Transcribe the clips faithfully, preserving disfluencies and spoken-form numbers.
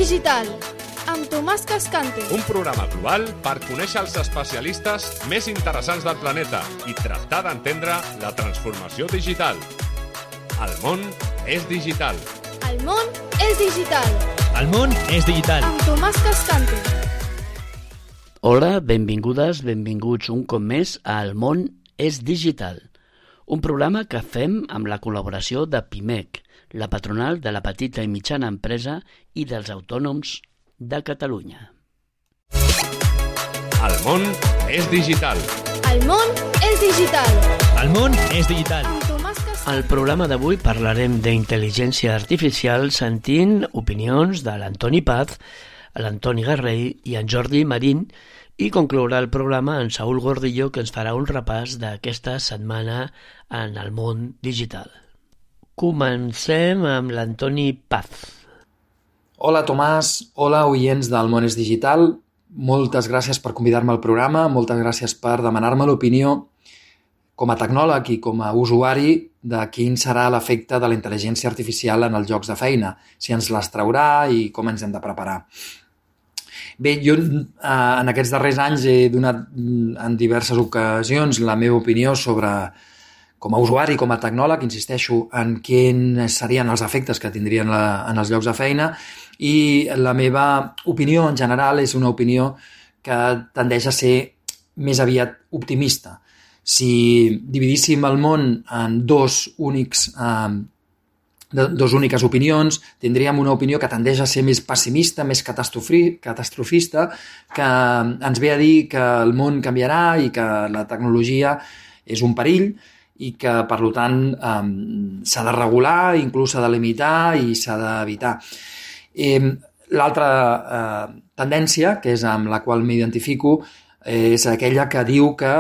digital, amb Tomàs Cascante. Un programa global per conèixer els especialistes més interessants del planeta i tractar d'entendre la transformació digital. El món és digital. El món és digital. El món és digital. Amb Tomàs Cascante. Hola, benvingudes, benvinguts un cop més a El món és digital, un programa que fem amb la col·laboració de Pimec, la patronal de la petita i mitjana empresa i dels autònoms de Catalunya. El món és digital. El món és digital. El món és digital. Amb Tomàs Cascante. Al programa d'avui parlarem d'intel·ligència artificial sentint opinions de l'Antoni Paz, l'Antoni Garrell i en Jordi Marín, i conclourà el programa en Saúl Gordillo, que ens farà un repàs d'aquesta setmana en el món digital. Comencem amb l'Antoni Paz. Hola Tomàs, hola oients del món és digital, moltes gràcies per convidar-me al programa, moltes gràcies per demanar-me l'opinió com a tecnòleg i com a usuari de quin serà l'efecte de la intel·ligència artificial en els llocs de feina, si ens les traurà i com ens hem de preparar. Bé, jo eh, en aquests darrers anys he donat en diverses ocasions la meva opinió sobre, com a usuari, com a tecnòleg, insisteixo en quins serien els efectes que tindrien la, en els llocs de feina, i la meva opinió en general és una opinió que tendeix a ser més aviat optimista. Si dividíssim el món en dos únics eh, dos úniques opinions, tindríem una opinió que tendeix a ser més pessimista, més catastrofista, que ens ve a dir que el món canviarà i que la tecnologia és un perill i que, per tant, eh, s'ha de regular, inclús s'ha de limitar i s'ha d'evitar. Eh, L'altra eh, tendència, que és amb la qual m'identifico, és aquella que diu que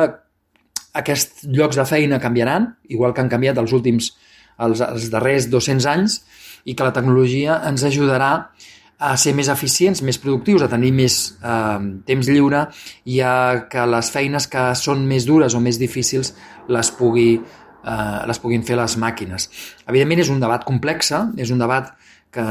aquests llocs de feina canviaran, igual que han canviat els últims els, els darrers dos-cents anys, i que la tecnologia ens ajudarà a ser més eficients, més productius, a tenir més eh, temps lliure i a que les feines que són més dures o més difícils les, pugui, eh, les puguin fer les màquines. Evidentment és un debat complex, és un debat que,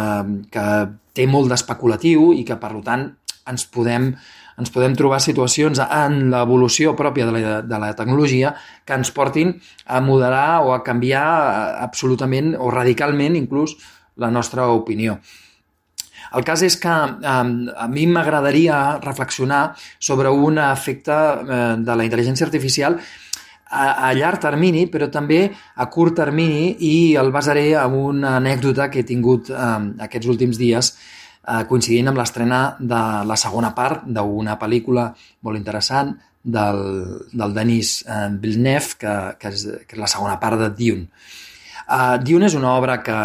que té molt d'especulatiu i que, per tant, ens podem ens podem trobar situacions en l'evolució pròpia de la, de la tecnologia que ens portin a moderar o a canviar absolutament o radicalment inclús la nostra opinió. El cas és que eh, a mi m'agradaria reflexionar sobre un efecte eh, de la intel·ligència artificial a, a llarg termini, però també a curt termini, i el basaré en una anècdota que he tingut eh, aquests últims dies, coincidint amb l'estrena de la segona part d'una pel·lícula molt interessant del, del Denis Villeneuve, que, que, és, que és la segona part de Dune. Uh, Dune és una obra que,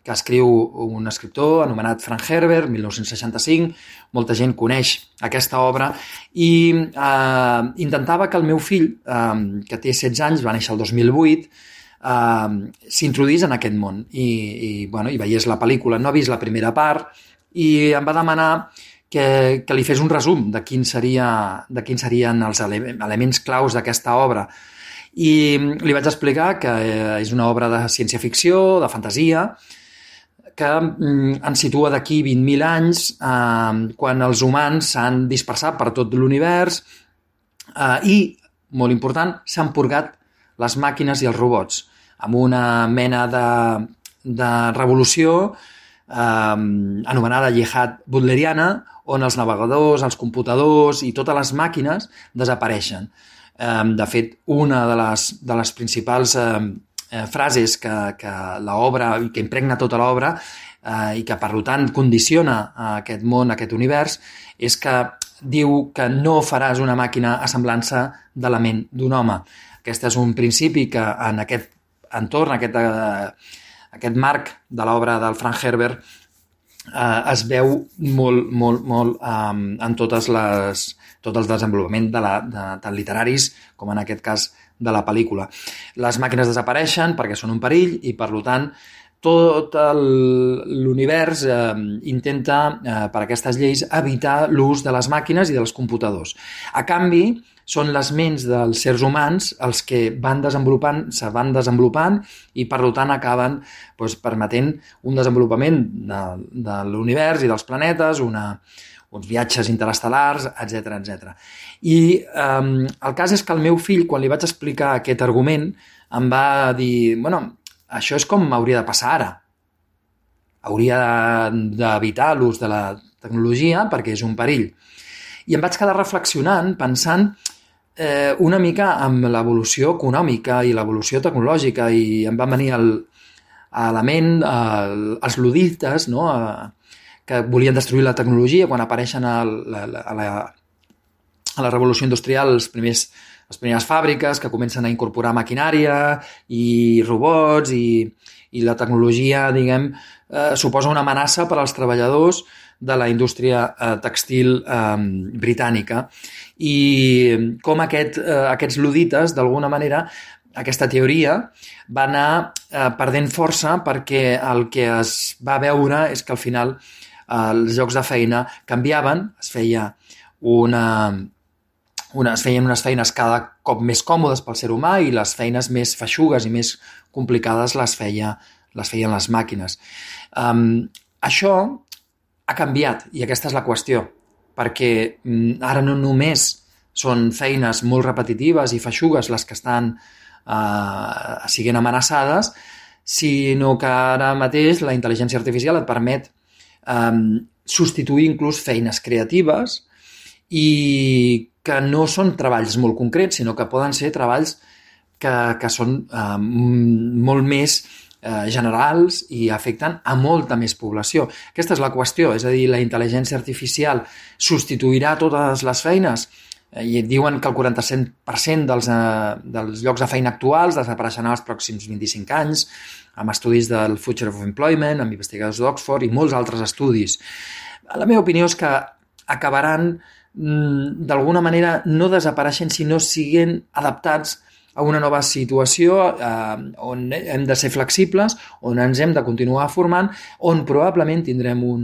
que escriu un escriptor anomenat Frank Herbert, mil nou-cents seixanta-cinc. Molta gent coneix aquesta obra i uh, intentava que el meu fill, uh, que té setze anys, va néixer el dos mil vuit, uh, s'introduís en aquest món i, i, bueno, i veiés la pel·lícula. No ha vist la primera part, i em va demanar que, que li fes un resum de quin seria, de quins serien els ele- elements claus d'aquesta obra. I li vaig explicar que és una obra de ciència-ficció, de fantasia, que mm, ens situa d'aquí vint mil anys, eh, quan els humans s'han dispersat per tot l'univers eh, i, molt important, s'han purgat les màquines i els robots, amb una mena de, de revolució Eh, anomenada jihad butleriana, on els navegadors, els computadors i totes les màquines desapareixen. Eh, de fet, una de les, de les principals eh, eh, frases que, que l'obra, que impregna tota l'obra eh, i que, per tant, condiciona aquest món, aquest univers, és que diu que no faràs una màquina a semblança de la ment d'un home. Aquest és un principi que en aquest entorn, aquest eh, aquest marc de l'obra del Frank Herbert eh, es veu molt, molt, molt eh, en totes les, tot el desenvolupament de la, de, tant literaris com en aquest cas de la pel·lícula. Les màquines desapareixen perquè són un perill i, per tant, tot l'univers eh, intenta, eh, per aquestes lleis, evitar l'ús de les màquines i dels computadors. A canvi, són les ments dels sers humans els que van desenvolupant, se van desenvolupant i per tant acaben doncs, permetent un desenvolupament de, de l'univers i dels planetes, una, uns viatges interestel·lars, etcètera etcètera. I eh, el cas és que el meu fill, quan li vaig explicar aquest argument, em va dir, bueno, això és com hauria de passar ara. Hauria d'evitar l'ús de la tecnologia perquè és un perill. I em vaig quedar reflexionant, pensant eh, una mica amb l'evolució econòmica i l'evolució tecnològica, i em van venir el, a la ment el, els ludites, no? a, que volien destruir la tecnologia quan apareixen a la, a la, a la revolució industrial els primers, les primeres fàbriques que comencen a incorporar maquinària i robots i, i la tecnologia, diguem, eh, suposa una amenaça per als treballadors de la indústria eh, textil eh, britànica, i com aquest, eh, aquests ludites, d'alguna manera, aquesta teoria va anar eh, perdent força perquè el que es va veure és que al final eh, els llocs de feina canviaven, es feia una, una, es feien unes feines cada cop més còmodes pel ser humà i les feines més feixugues i més complicades les, feia, les feien les màquines. Um, això ha canviat, i aquesta és la qüestió, perquè ara no només són feines molt repetitives i feixugues les que estan eh, siguent amenaçades, sinó que ara mateix la intel·ligència artificial et permet eh, substituir inclús feines creatives i que no són treballs molt concrets, sinó que poden ser treballs que, que són eh, molt més generals i afecten a molta més població. Aquesta és la qüestió, és a dir, la intel·ligència artificial substituirà totes les feines i diuen que el quaranta-set per cent dels, eh, dels llocs de feina actuals desapareixeran els pròxims vint-i-cinc anys, amb estudis del Future of Employment, amb investigadors d'Oxford i molts altres estudis. La meva opinió és que acabaran d'alguna manera no desapareixent, sinó siguent adaptats a una nova situació eh, on hem de ser flexibles, on ens hem de continuar formant, on probablement tindrem un,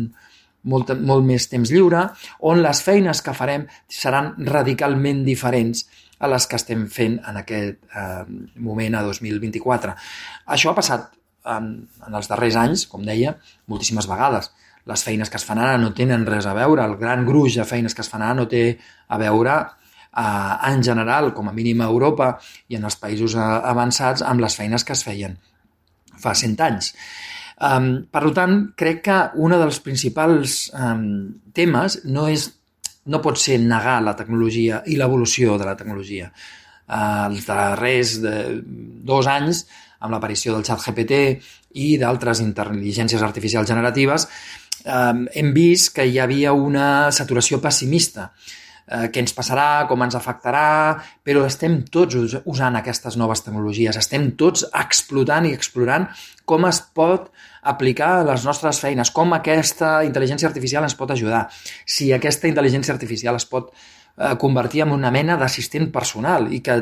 molt, molt més temps lliure, on les feines que farem seran radicalment diferents a les que estem fent en aquest eh, moment a dos mil vint-i-quatre. Això ha passat en, en els darrers anys, com deia, moltíssimes vegades. Les feines que es fan ara no tenen res a veure, el gran gruix de feines que es fan ara no té a veure en general, com a mínim a Europa i en els països avançats, amb les feines que es feien fa cent anys. Um, per tant, crec que un dels principals um, temes no, és, no pot ser negar la tecnologia i l'evolució de la tecnologia. Uh, els darrers de, dos anys, amb l'aparició del xat G P T i d'altres intel·ligències artificials generatives, um, hem vist que hi havia una saturació pessimista. Què ens passarà, com ens afectarà, però estem tots usant aquestes noves tecnologies, estem tots explotant i explorant com es pot aplicar a les nostres feines, com aquesta intel·ligència artificial ens pot ajudar, si aquesta intel·ligència artificial es pot eh, convertir en una mena d'assistent personal i que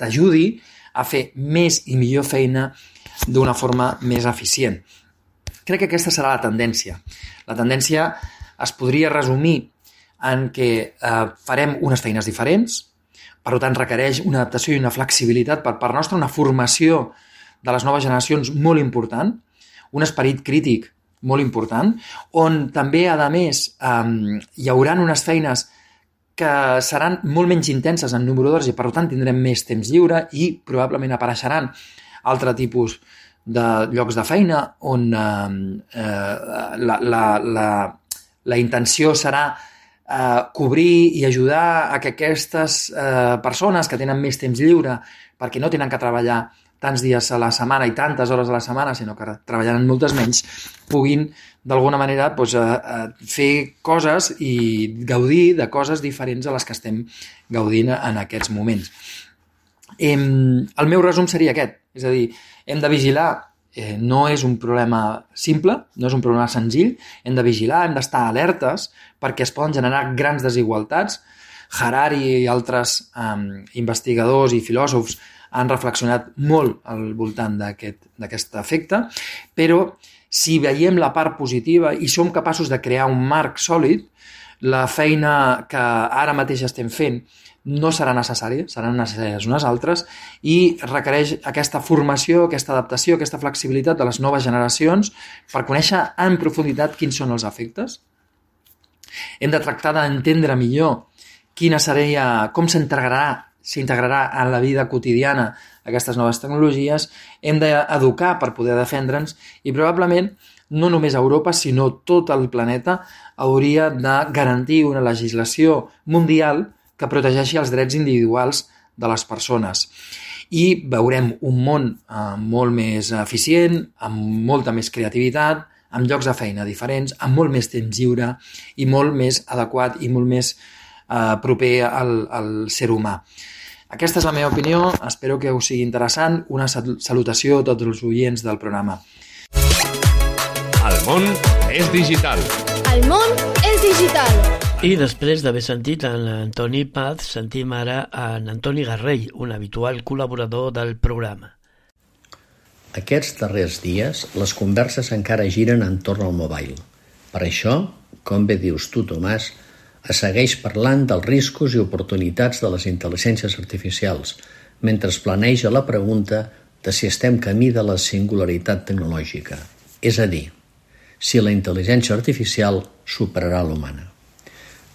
t'ajudi a fer més i millor feina d'una forma més eficient. Crec que aquesta serà la tendència. La tendència es podria resumir en què eh, farem unes feines diferents, per tant requereix una adaptació i una flexibilitat per part nostra, una formació de les noves generacions molt important, un esperit crític molt important, on també, a més, eh, hi haurà unes feines que seran molt menys intenses en número d'hores i per tant tindrem més temps lliure i probablement apareixeran altre tipus de llocs de feina on eh, eh, la, la, la, la intenció serà eh, cobrir i ajudar a que aquestes eh, persones que tenen més temps lliure perquè no tenen que treballar tants dies a la setmana i tantes hores a la setmana, sinó que treballaran moltes menys, puguin d'alguna manera doncs, eh, fer coses i gaudir de coses diferents a les que estem gaudint en aquests moments. Eh, el meu resum seria aquest, és a dir, hem de vigilar, eh, no és un problema simple, no és un problema senzill, hem de vigilar, hem d'estar alertes perquè es poden generar grans desigualtats. Harari i altres eh, investigadors i filòsofs han reflexionat molt al voltant d'aquest d'aquest efecte, però si veiem la part positiva i som capaços de crear un marc sòlid, la feina que ara mateix estem fent no serà necessària, seran necessàries unes altres, i requereix aquesta formació, aquesta adaptació, aquesta flexibilitat de les noves generacions per conèixer en profunditat quins són els efectes. Hem de tractar d'entendre millor quina seria, com s'integrarà s'integrarà en la vida quotidiana aquestes noves tecnologies, hem d'educar per poder defendre'ns i probablement no només Europa, sinó tot el planeta hauria de garantir una legislació mundial que protegeixi els drets individuals de les persones. I veurem un món eh, molt més eficient, amb molta més creativitat, amb llocs de feina diferents, amb molt més temps lliure i molt més adequat i molt més eh, proper al, al ser humà. Aquesta és la meva opinió, espero que us sigui interessant. Una salutació a tots els oients del programa. El món és digital. El món és digital. I després d'haver sentit en l'Antoni Paz, sentim ara en Antoni Garrell, un habitual col·laborador del programa. Aquests darrers dies, les converses encara giren entorn al mobile. Per això, com bé dius tu, Tomàs, es segueix parlant dels riscos i oportunitats de les intel·ligències artificials, mentre es planeja la pregunta de si estem camí de la singularitat tecnològica, és a dir, si la intel·ligència artificial superarà l'humana.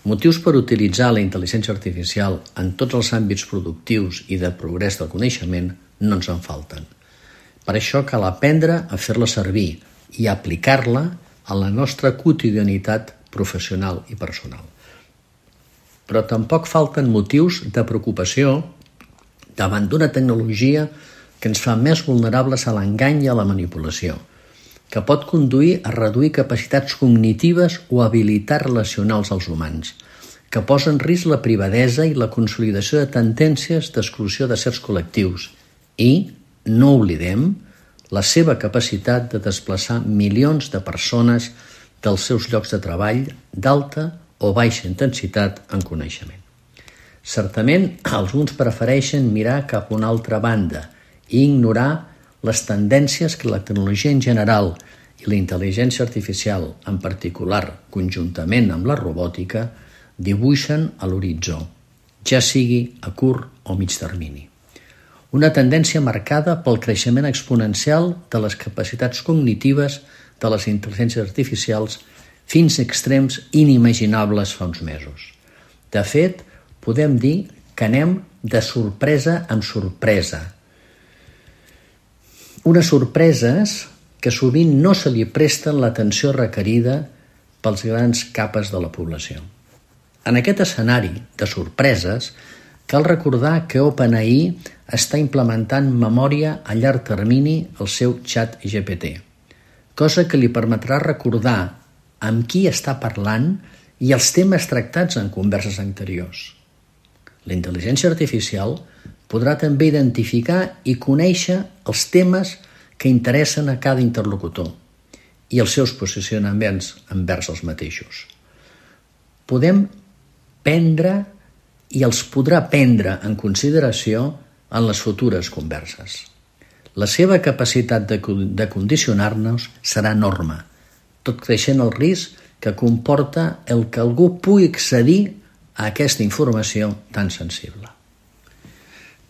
Motius per utilitzar la intel·ligència artificial en tots els àmbits productius i de progrés del coneixement no ens en falten. Per això cal aprendre a fer-la servir i aplicar-la a la nostra quotidianitat professional i personal. Però tampoc falten motius de preocupació davant d'una tecnologia que ens fa més vulnerables a l'engany i a la manipulació, que pot conduir a reduir capacitats cognitives o habilitats relacionals als humans, que posa en risc la privadesa i la consolidació de tendències d'exclusió de certs col·lectius i, no oblidem, la seva capacitat de desplaçar milions de persones dels seus llocs de treball d'alta o baixa intensitat en coneixement. Certament, alguns prefereixen mirar cap a una altra banda i ignorar les tendències que la tecnologia en general i la intel·ligència artificial, en particular conjuntament amb la robòtica, dibuixen a l'horitzó, ja sigui a curt o mig termini. Una tendència marcada pel creixement exponencial de les capacitats cognitives de les intel·ligències artificials fins a extrems inimaginables fa uns mesos. De fet, podem dir que anem de sorpresa en sorpresa. Unes sorpreses que sovint no se li presten l'atenció requerida pels grans capes de la població. En aquest escenari de sorpreses, cal recordar que OpenAI està implementant memòria a llarg termini al seu xat G P T, cosa que li permetrà recordar amb qui està parlant i els temes tractats en converses anteriors. La intel·ligència artificial podrà també identificar i conèixer els temes que interessen a cada interlocutor i els seus posicionaments envers els mateixos. Podem prendre i els podrà prendre en consideració en les futures converses. La seva capacitat de, de condicionar-nos serà enorme, tot creixent el risc que comporta el que algú pugui accedir a aquesta informació tan sensible.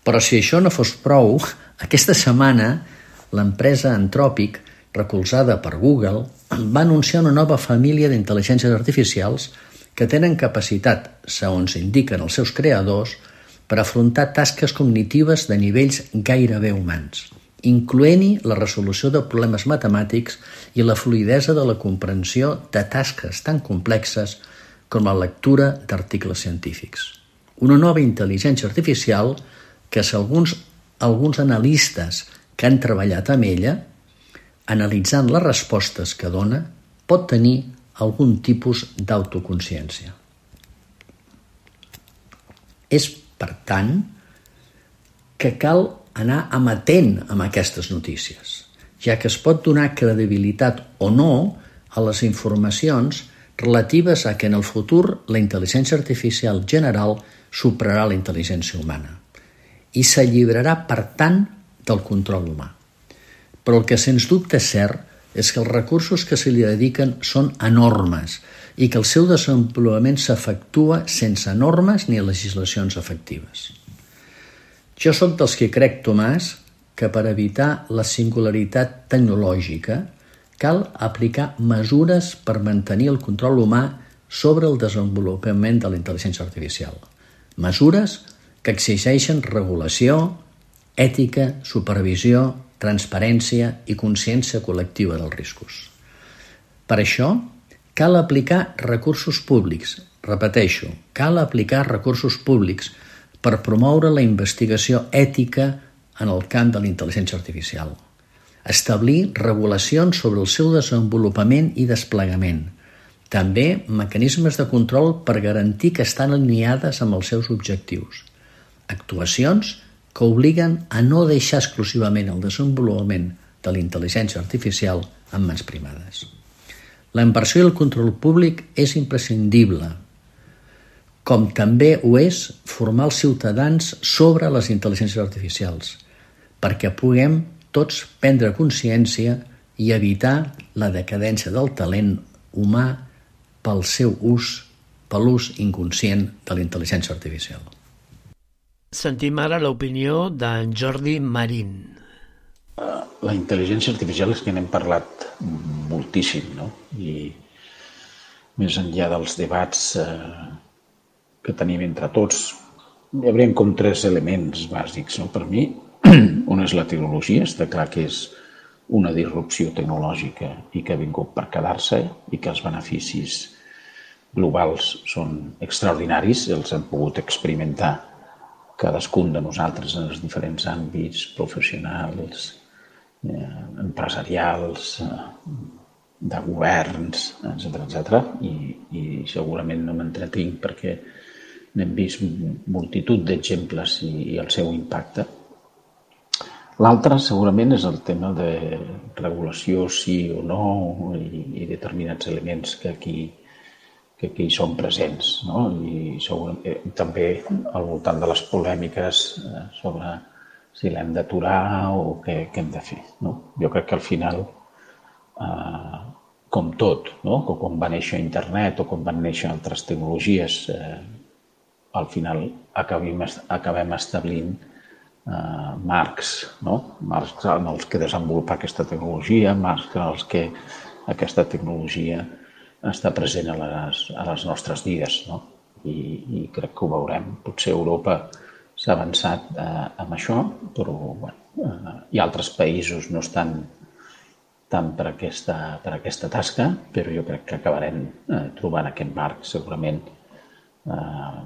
Però si això no fos prou, aquesta setmana l'empresa Anthropic, recolzada per Google, va anunciar una nova família d'intel·ligències artificials que tenen capacitat, segons indiquen els seus creadors, per afrontar tasques cognitives de nivells gairebé humans, incloent-hi la resolució de problemes matemàtics i la fluïdesa de la comprensió de tasques tan complexes com la lectura d'articles científics. Una nova intel·ligència artificial que, segons alguns analistes que han treballat amb ella, analitzant les respostes que dona, pot tenir algun tipus d'autoconsciència. És, per tant, que cal anar amatent amb aquestes notícies, ja que es pot donar credibilitat o no a les informacions relatives a que en el futur la intel·ligència artificial general superarà la intel·ligència humana i s'alliberarà, per tant, del control humà. Però el que sens dubte és cert és que els recursos que se li dediquen són enormes i que el seu desenvolupament s'efectua sense normes ni legislacions efectives. Jo sóc dels que crec, Tomàs, que per evitar la singularitat tecnològica cal aplicar mesures per mantenir el control humà sobre el desenvolupament de la intel·ligència artificial. Mesures que exigeixen regulació, ètica, supervisió, transparència i consciència col·lectiva dels riscos. Per això, cal aplicar recursos públics. Repeteixo, cal aplicar recursos públics per promoure la investigació ètica en el camp de la intel·ligència artificial. Establir regulacions sobre el seu desenvolupament i desplegament. També mecanismes de control per garantir que estan alineades amb els seus objectius. Actuacions que obliguen a no deixar exclusivament el desenvolupament de la intel·ligència artificial en mans privades. La inversió i el control públic és imprescindible, com també ho és formar els ciutadans sobre les intel·ligències artificials, perquè puguem tots prendre consciència i evitar la decadència del talent humà pel seu ús, per l'ús inconscient de la intel·ligència artificial. Sentim ara l'opinió d'en Jordi Marín. La intel·ligència artificial és que n'hem parlat moltíssim, no? I més enllà dels debats eh, que tenim entre tots, hi hauríem com tres elements bàsics, no? Per mi, un és la tecnologia, està clar que és una disrupció tecnològica i que ha vingut per quedar-se i que els beneficis globals són extraordinaris, els hem pogut experimentar cadascun de nosaltres en els diferents àmbits professionals, eh, empresarials, eh, de governs, etcètera, etcètera. I, i segurament no m'entretinc perquè n'hem vist multitud d'exemples i, i el seu impacte. L'altre segurament és el tema de regulació sí o no i, i determinats elements que aquí que aquí són presents, no? I segurament, també al voltant de les polèmiques sobre si l'hem d'aturar o què, què hem de fer, no? Jo crec que al final, eh, com tot, no? Com va néixer internet o com van néixer altres tecnologies, eh, al final acabem, acabem establint eh, marcs, no? Marcs en els que desenvolupar aquesta tecnologia, marcs en els que aquesta tecnologia està present a les, a les nostres vides, no? I, i crec que ho veurem. Potser Europa s'ha avançat eh, amb això, però bueno, eh, i altres països no estan tant per aquesta, per aquesta tasca, però jo crec que acabarem eh, trobant aquest marc. Segurament eh,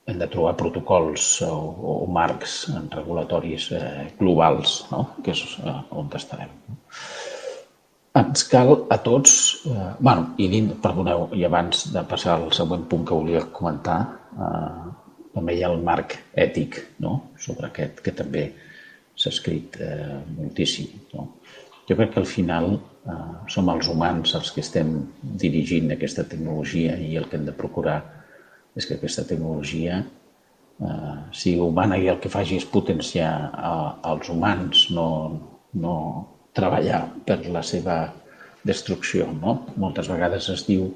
hem de trobar protocols o, o marcs regulatoris eh, globals, no? Que és eh, on estarem. Ens cal a tots, eh, bueno, i dins, perdoneu, i abans de passar al següent punt que volia comentar, eh, també hi ha el marc ètic, no? Sobre aquest, que també s'ha escrit eh, moltíssim, no? Jo crec que al final eh, som els humans els que estem dirigint aquesta tecnologia i el que hem de procurar és que aquesta tecnologia eh, sigui humana i el que faci és potenciar a, als humans, no, no treballar per la seva destrucció, no? Moltes vegades es diu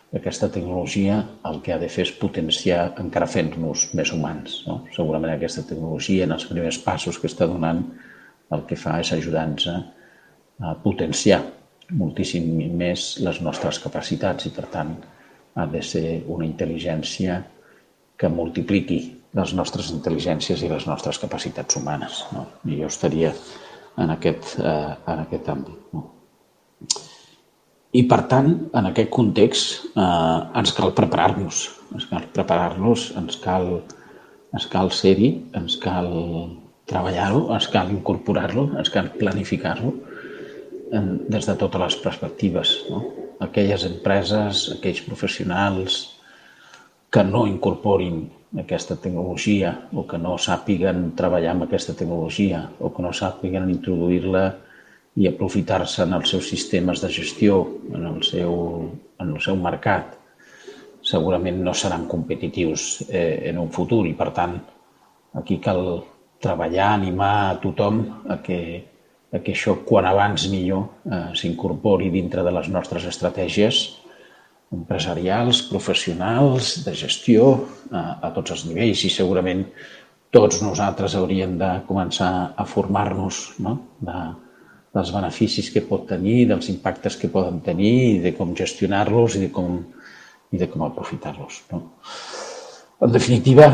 que aquesta tecnologia el que ha de fer és potenciar encara fent-nos més humans, no? Segurament aquesta tecnologia en els primers passos que està donant el que fa és ajudar-nos a potenciar moltíssim més les nostres capacitats i per tant ha de ser una intel·ligència que multipliqui les nostres intel·ligències i les nostres capacitats humanes, no? I jo estaria en aquest, eh, en aquest àmbit, no? I per tant, en aquest context eh, ens cal preparar-nos, ens cal preparar-nos, ens cal, ens cal ser-hi, ens cal treballar-ho, ens cal incorporar-lo, ens cal planificar-lo des de totes les perspectives, no? Aquelles empreses, aquells professionals que no incorporin aquesta tecnologia o que no sàpiguen treballar amb aquesta tecnologia o que no sàpiguen introduir-la i aprofitar-se en els seus sistemes de gestió, en el seu, en el seu mercat, segurament no seran competitius eh, en un futur i, per tant, aquí cal treballar, animar a tothom a que que això, quan abans millor, eh, s'incorpori dintre de les nostres estratègies empresarials, professionals, de gestió, eh, a tots els nivells, i segurament tots nosaltres hauríem de començar a formar-nos, no? de, dels beneficis que pot tenir, dels impactes que poden tenir i de com gestionar-los i de com, i de com aprofitar-los. No? En definitiva,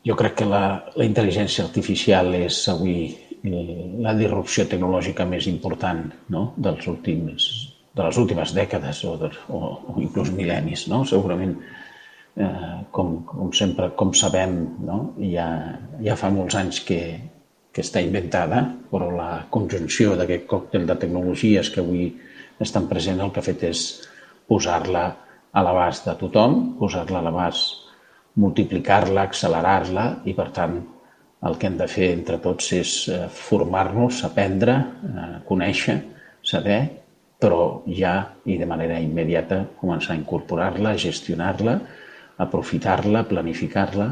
jo crec que la, la intel·ligència artificial és avui la disrupció tecnològica més important, no? dels últims, de les últimes dècades o, de, o, o inclús mil·lennis. No? Segurament, eh, com, com sempre, com sabem, no? ja, ja fa molts anys que, que està inventada, però la conjunció d'aquest còctel de tecnologies que avui estan presents el que ha fet és posar-la a l'abast de tothom, posar-la a l'abast, multiplicar-la, accelerar-la i, per tant, el que hem de fer entre tots és formar-nos, aprendre, conèixer, saber, però ja i de manera immediata començar a incorporar-la, gestionar-la, aprofitar-la, planificar-la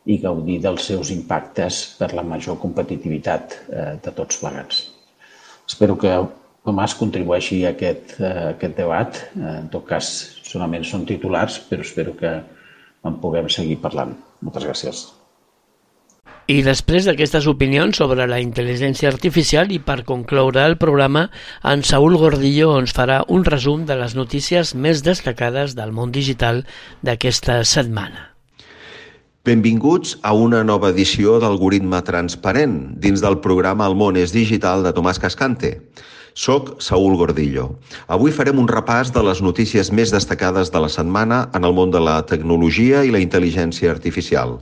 i gaudir dels seus impactes per la major competitivitat de tots plegats. Espero que Tomàs contribueixi a aquest, a aquest debat. En tot cas, solament són titulars, però espero que en puguem seguir parlant. Moltes gràcies. I després d'aquestes opinions sobre la intel·ligència artificial i per concloure el programa, en Saúl Gordillo ens farà un resum de les notícies més destacades del món digital d'aquesta setmana. Benvinguts a una nova edició d'Algoritme Transparent dins del programa El món és digital de Tomàs Cascante. Soc Saúl Gordillo. Avui farem un repàs de les notícies més destacades de la setmana en el món de la tecnologia i la intel·ligència artificial.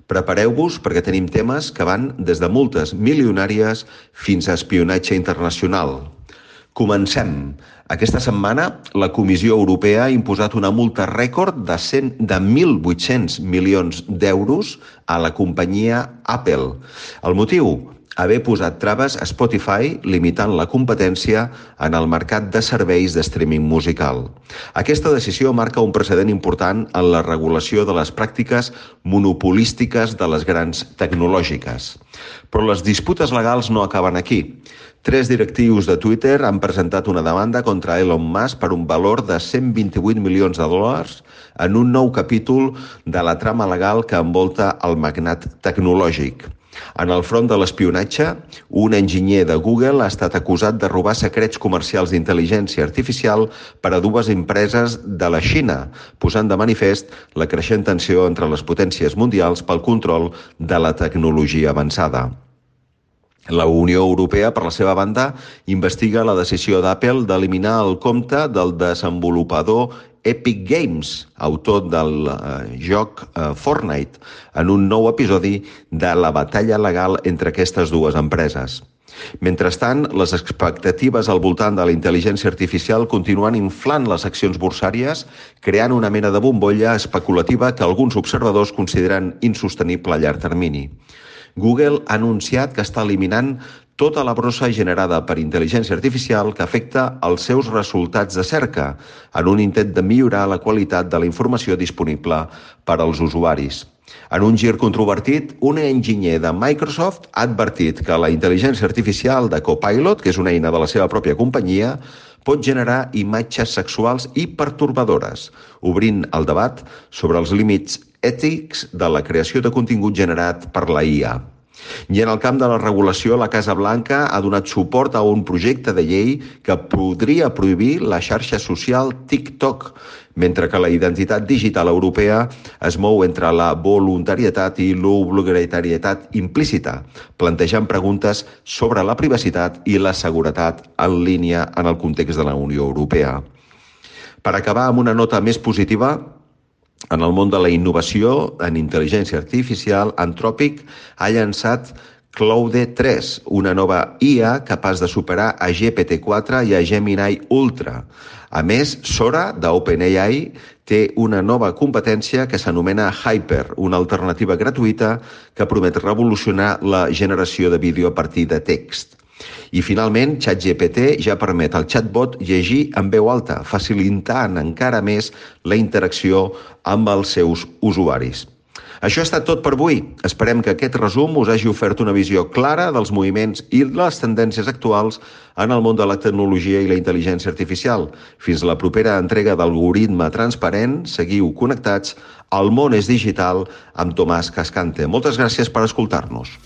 Prepareu-vos perquè tenim temes que van des de multes milionàries fins a espionatge internacional. Comencem. Aquesta setmana, la Comissió Europea ha imposat una multa rècord de, cent, de mil vuit-cents milions d'euros a la companyia Apple. El motiu? Haver posat traves a Spotify limitant la competència en el mercat de serveis de streaming musical. Aquesta decisió marca un precedent important en la regulació de les pràctiques monopolístiques de les grans tecnològiques. Però les disputes legals no acaben aquí. Tres directius de Twitter han presentat una demanda contra Elon Musk per un valor de cent vint-i-vuit milions de dòlars en un nou capítol de la trama legal que envolta el magnat tecnològic. En el front de l'espionatge, un enginyer de Google ha estat acusat de robar secrets comercials d'intel·ligència artificial per a dues empreses de la Xina, posant de manifest la creixent tensió entre les potències mundials pel control de la tecnologia avançada. La Unió Europea, per la seva banda, investiga la decisió d'Apple d'eliminar el compte del desenvolupador Epic Games, autor del eh, joc eh, Fortnite, en un nou episodi de la batalla legal entre aquestes dues empreses. Mentrestant, les expectatives al voltant de la intel·ligència artificial continuen inflant les accions borsàries, creant una mena de bombolla especulativa que alguns observadors consideren insostenible a llarg termini. Google ha anunciat que està eliminant tota la brossa generada per intel·ligència artificial que afecta els seus resultats de cerca, en un intent de millorar la qualitat de la informació disponible per als usuaris. En un gir controvertit, un enginyer de Microsoft ha advertit que la intel·ligència artificial de Copilot, que és una eina de la seva pròpia companyia, pot generar imatges sexuals i pertorbadores, obrint el debat sobre els límits ètics de la creació de contingut generat per la I A. I en el camp de la regulació, la Casa Blanca ha donat suport a un projecte de llei que podria prohibir la xarxa social TikTok, mentre que la identitat digital europea es mou entre la voluntarietat i l'obligatorietat implícita, plantejant preguntes sobre la privacitat i la seguretat en línia en el context de la Unió Europea. Per acabar amb una nota més positiva, en el món de la innovació en intel·ligència artificial, Anthropic ha llançat Claude tres, una nova I A capaç de superar a G P T quatre i a Gemini Ultra. A més, Sora, d'OpenAI, té una nova competència que s'anomena Hyper, una alternativa gratuïta que promet revolucionar la generació de vídeo a partir de text. I finalment, ChatGPT ja permet al chatbot llegir en veu alta, facilitant encara més la interacció amb els seus usuaris. Això ha estat tot per avui. Esperem que aquest resum us hagi ofert una visió clara dels moviments i les tendències actuals en el món de la tecnologia i la intel·ligència artificial. Fins a la propera entrega d'Algoritme Transparent, seguiu connectats al Món és Digital amb Tomàs Cascante. Moltes gràcies per escoltar-nos.